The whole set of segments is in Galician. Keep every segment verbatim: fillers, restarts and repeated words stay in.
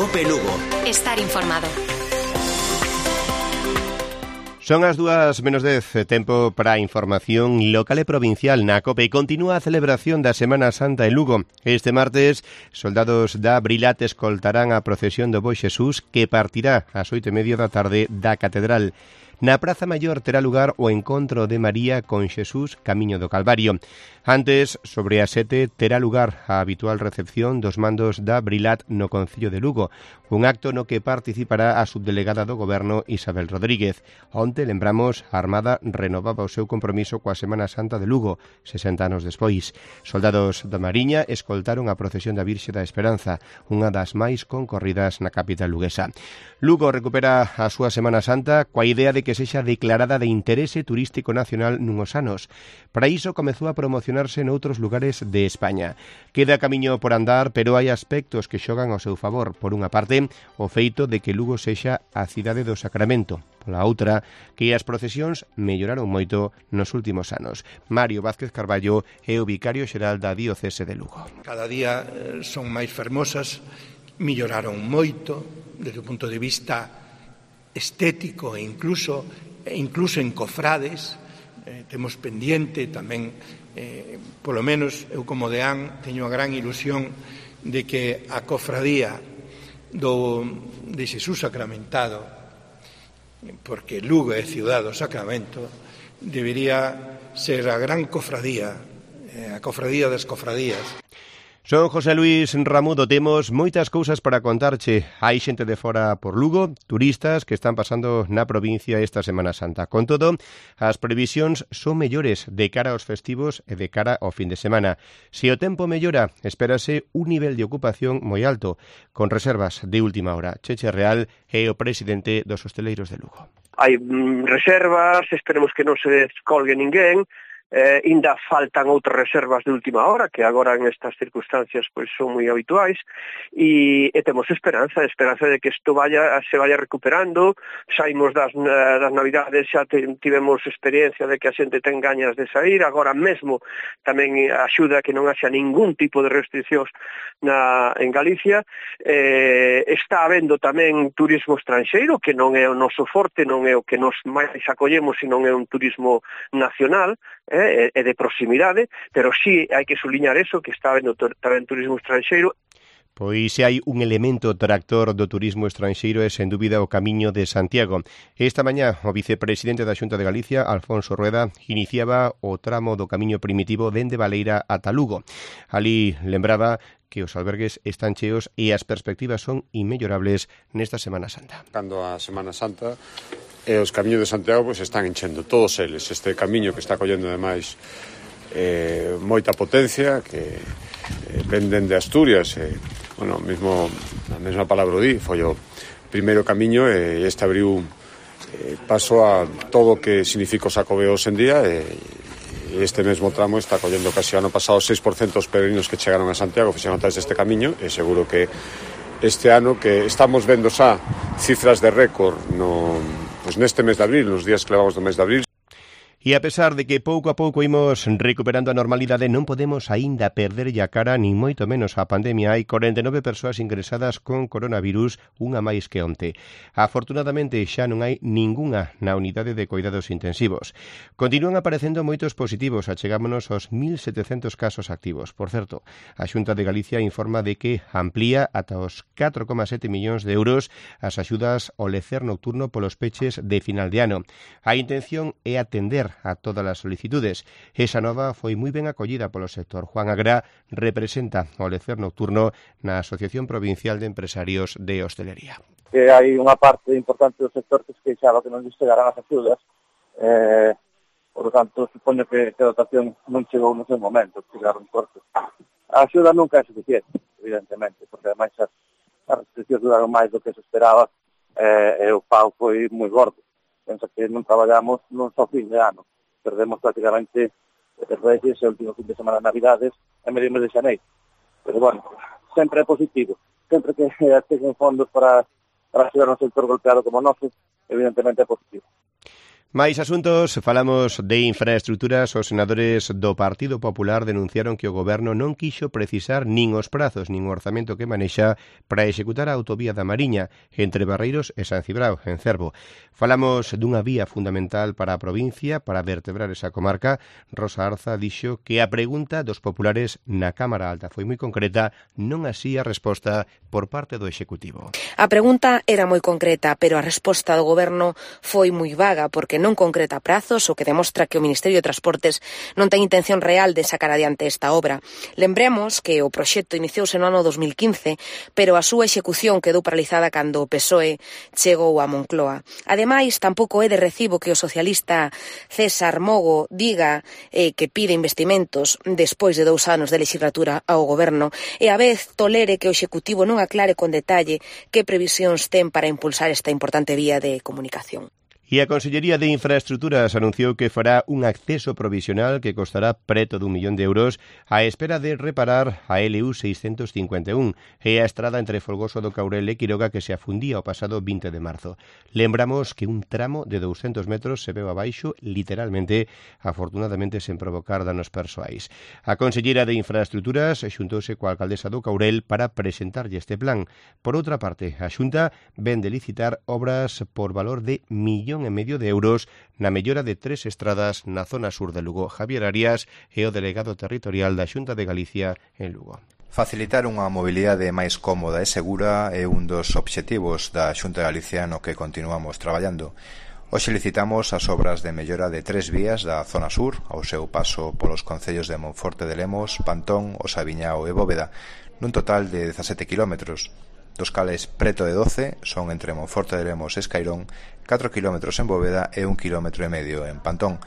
Cope Lugo. Estar informado. Son as dúas menos dez, tempo para a información local e provincial na COPE e continúa a celebración da Semana Santa en Lugo. Este martes, soldados da Brilat escoltarán a procesión do Bo Xesús que partirá ás oito e media da tarde da Catedral. Na Praza Maior terá lugar o encontro de María con Xesús camiño do Calvario. Antes, sobre as sete, terá lugar a habitual recepción dos mandos da Brilat no Concello de Lugo, un acto no que participará a subdelegada do Goberno Isabel Rodríguez. Onte, lembramos, a Armada renovaba o seu compromiso coa Semana Santa de Lugo, sesenta anos despois. Soldados da Mariña escoltaron a procesión da Virxe da Esperanza, unha das máis concorridas na capital luguesa. Lugo recupera a súa Semana Santa coa idea de que sexa declarada de interese turístico nacional nunhos anos. Para iso comezou a promocionarse noutros lugares de España. Queda camiño por andar, pero hai aspectos que xogan ao seu favor. Por unha parte, o feito de que Lugo sexa a cidade do Sacramento. Pola outra, que as procesións melloraron moito nos últimos anos. Mario Vázquez Carballo é o vicario xeral da Diocese de Lugo. Cada día son máis fermosas, melloraron moito desde o punto de vista estético e incluso, e incluso en cofrades. Eh, temos pendiente tamén, eh, polo menos eu como deán teño a gran ilusión de que a cofradía do, de Xesús sacramentado, porque Lugo é ciudad do Sacramento, debería ser a gran cofradía, eh, a cofradía das cofradías. Son José Luis Ramudo, temos moitas cousas para contarche. Hai xente de fora por Lugo, turistas que están pasando na provincia esta Semana Santa. Con todo, as previsións son mellores de cara aos festivos e de cara ao fin de semana. Se o tempo mellora, espérase un nivel de ocupación moi alto, con reservas de última hora. Cheche Real é o presidente dos hosteleiros de Lugo. Hai mm, reservas, esperemos que non se descolgue ninguén. Eh, ainda faltan outras reservas de última hora que agora en estas circunstancias pois son moi habituais e, e temos esperanza, esperanza de que isto vaya, se vaya recuperando. Saímos das, das navidades, xa tivemos experiencia de que a xente ten gañas de sair, agora mesmo tamén axuda que non haxa ningún tipo de restriccións na, en Galicia. Eh, está habendo tamén turismo estranxeiro que non é o noso forte, non é o que nos máis acollemos, sino é un turismo nacional, eh, e de proximidade, pero sí hai que suliñar eso, que está habendo tamén turismo estranxeiro. Pois se hai un elemento tractor do turismo estranxeiro é sen dúbida o Camiño de Santiago. Esta mañá o vicepresidente da Xunta de Galicia, Alfonso Rueda, iniciaba o tramo do camiño primitivo dende Baleira ata Lugo. Ali lembraba que os albergues están cheos e as perspectivas son inmellorables nesta Semana Santa. Cando a Semana Santa e os camiños de Santiago pois están enchendo todos eles. Este camiño que está collendo ademais eh, moita potencia, que eh, venden de Asturias, eh, bueno, mesmo a mesma palabra di, foi o primeiro camiño e este abriu eh, paso a todo o que significa o Xacobeo hoxe en día e este mesmo tramo está collendo casi ano pasado seis por cento dos peregrinos que chegaron a Santiago fixeron tras deste camiño e seguro que este ano que estamos vendo xa cifras de récord no, pues neste mes de abril, nos días que levamos do mes de abril. E a pesar de que pouco a pouco imos recuperando a normalidade, non podemos aínda perderlle a cara, nin moito menos a pandemia. Hai corenta e nove persoas ingresadas con coronavirus, unha máis que onte. Afortunadamente xa non hai ningunha na unidade de cuidados intensivos. Continúan aparecendo moitos positivos, achegámonos aos mil setecentos casos activos. Por certo, a Xunta de Galicia informa de que amplía ata os catro coma sete millóns de euros as axudas ao lecer nocturno polos peches de final de ano. A intención é atender a todas as solicitudes. Esa nova foi moi ben acollida polo sector. Juan Agrá representa o lecer nocturno na Asociación Provincial de Empresarios de Hostelería. Que hai unha parte importante do sector que se queixaba que non lles chegarán as axudas, eh, por lo tanto, supoño que, que a dotación non chegou no seu momento, chegaron cortos. A axuda nunca é suficiente, evidentemente, porque ademais as, as restriccións duraron máis do que se esperaba eh, e o pau foi moi gordo. Pensa que non traballamos non só fin de ano. Perdemos prácticamente os Reyes, o último fin de semana de Navidades, e medio mes de xaneiro. Pero, bueno, sempre é positivo. Sempre que cheguen fondos para, para axudar un sector golpeado como o noso, evidentemente é positivo. Máis asuntos, falamos de infraestructuras. Os senadores do Partido Popular denunciaron que o Goberno non quixo precisar nin os prazos nin o orzamento que manexa para executar a autovía da Mariña entre Barreiros e San Cibrao, en Cervo. Falamos dunha vía fundamental para a provincia, para vertebrar esa comarca. Rosa Arza dixo que a pregunta dos populares na Cámara Alta foi moi concreta, non así a resposta por parte do Executivo. A pregunta era moi concreta, pero a resposta do Goberno foi moi vaga, porque non concreta prazos, o que demostra que o Ministerio de Transportes non ten intención real de sacar adiante esta obra. Lembremos que o proxecto iniciouse no ano dos mil quince, pero a súa execución quedou paralizada cando o P S O E chegou a Moncloa. Ademais, tampouco é de recibo que o socialista César Mogo diga eh, que pide investimentos despois de dous anos de legislatura ao Goberno e a vez tolere que o Executivo non aclare con detalle que previsións ten para impulsar esta importante vía de comunicación. E a Consellería de Infraestructuras anunciou que fará un acceso provisional que costará preto dun millón de euros á espera de reparar a L U seiscentos cincuenta e un e a estrada entre Folgoso do Caurel e Quiroga que se afundía o pasado vinte de marzo. Lembramos que un tramo de douscentos metros se veu abaixo, literalmente, afortunadamente sen provocar danos persoais. A Consellera de Infraestructuras xuntouse coa alcaldesa do Caurel para presentarlle este plan. Por outra parte, a Xunta ven de licitar obras por valor de millón e medio de euros na mellora de tres estradas na zona sur de Lugo. Javier Arias é o delegado territorial da Xunta de Galicia en Lugo. Facilitar unha mobilidade máis cómoda e segura é un dos obxectivos da Xunta de Galicia no que continuamos traballando. Hoxe licitamos as obras de mellora de tres vías da zona sur ao seu paso polos concellos de Monforte de Lemos, Pantón, Osaviñao e Bóveda, nun total de dezasete kilómetros. Dos cales preto de doce son entre Monforte de Lemos e Escairón, catro kilómetros en Bóveda e un kilómetro e medio en Pantón.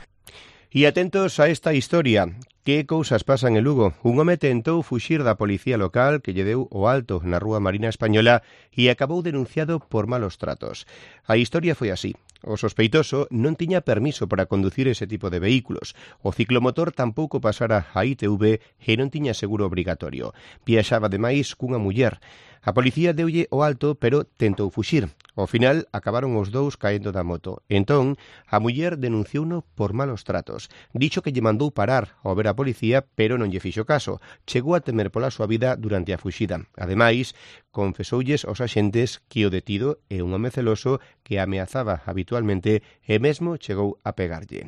E atentos a esta historia. Que cousas pasan en Lugo? Un home tentou fuxir da policía local que lle deu o alto na Rúa Marina Española e acabou denunciado por malos tratos. A historia foi así. O sospeitoso non tiña permiso para conducir ese tipo de vehículos. O ciclomotor tampouco pasara a I T V e non tiña seguro obrigatorio. Viaxaba ademais cunha muller. A policía deulle o alto, pero tentou fuxir. Ao final, acabaron os dous caendo da moto. Entón, a muller denunciouno por malos tratos. Dixo que lle mandou parar ao ver a policía, pero non lle fixo caso. Chegou a temer pola súa vida durante a fuxida. Ademais, confesoulles aos axentes que o detido é un home celoso que ameazaba habitualmente e mesmo chegou a pegarlle.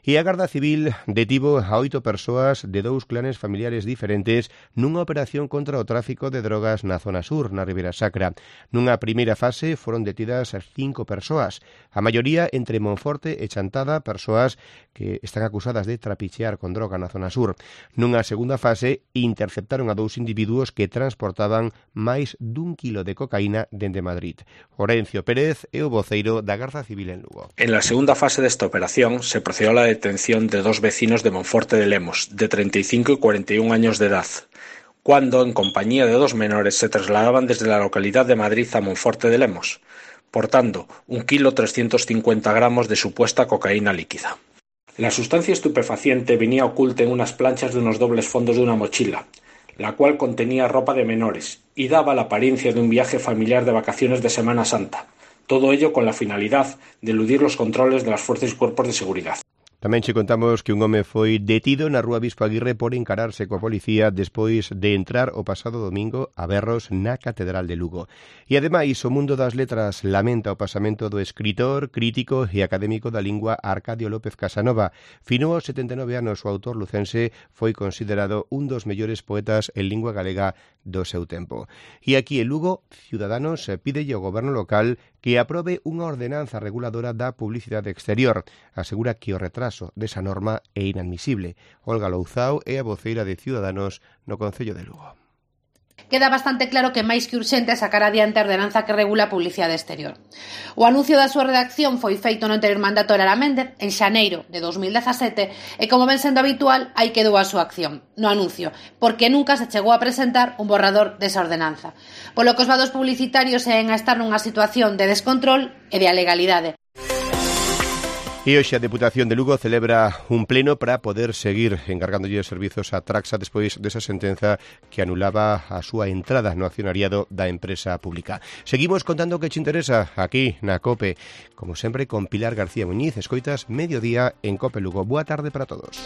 E a Garda Civil detivo a oito persoas de dous clanes familiares diferentes nunha operación contra o tráfico de drogas na zona sur, na Ribeira Sacra. Nunha primeira fase foron detidas cinco persoas, a maioría entre Monforte e Chantada, persoas que están acusadas de trapichear con droga na zona sur. Nunha segunda fase interceptaron a dous individuos que transportaban máis dun kilo de cocaína dende Madrid. Orencio Pérez é o voceiro da Garda Civil en Lugo. En la segunda fase desta operación se procedió a la detención de dos vecinos de Monforte de Lemos, de treinta y cinco y cuarenta y un años de edad, cuando, en compañía de dos menores, se trasladaban desde la localidad de Madrid a Monforte de Lemos, portando un kilo trescientos cincuenta gramos de supuesta cocaína líquida. La sustancia estupefaciente venía oculta en unas planchas de unos dobles fondos de una mochila, la cual contenía ropa de menores y daba la apariencia de un viaje familiar de vacaciones de Semana Santa. Todo ello con la finalidad de eludir los controles de las fuerzas y cuerpos de seguridad. Tamén che contamos que un home foi detido na Rúa Bispo Aguirre por encararse coa policía despois de entrar o pasado domingo a berros na Catedral de Lugo. E ademais, o mundo das letras lamenta o pasamento do escritor, crítico e académico da lingua Arcadio López Casanova. Fino aos setenta e nove anos, o autor lucense foi considerado un dos mellores poetas en lingua galega do seu tempo. E aquí en Lugo, Ciudadanos pídelle ao goberno local que aprobe unha ordenanza reguladora da publicidade exterior. Asegura que o retraso desa norma é inadmisible. Olga Louzao é a voceira de Ciudadanos no Concello de Lugo. Queda bastante claro que máis que urxente sacar adiante a ordenanza que regula a publicidade exterior. O anuncio da súa redacción foi feito no anterior mandato de Lara Méndez en xaneiro de dos mil dezasete e, como ven sendo habitual, aí quedou a súa acción, no anuncio, porque nunca se chegou a presentar un borrador desa ordenanza. Polo que os vados publicitarios seguen a estar nunha situación de descontrol e de alegalidade. E hoxe a Deputación de Lugo celebra un pleno para poder seguir encargándolle os servizos a Traxa despois desa sentenza que anulaba a súa entrada no accionariado da empresa pública. Seguimos contando o que te interesa aquí na COPE, como sempre con Pilar García Muñiz. Escoitas Mediodía en COPE Lugo. Boa tarde para todos.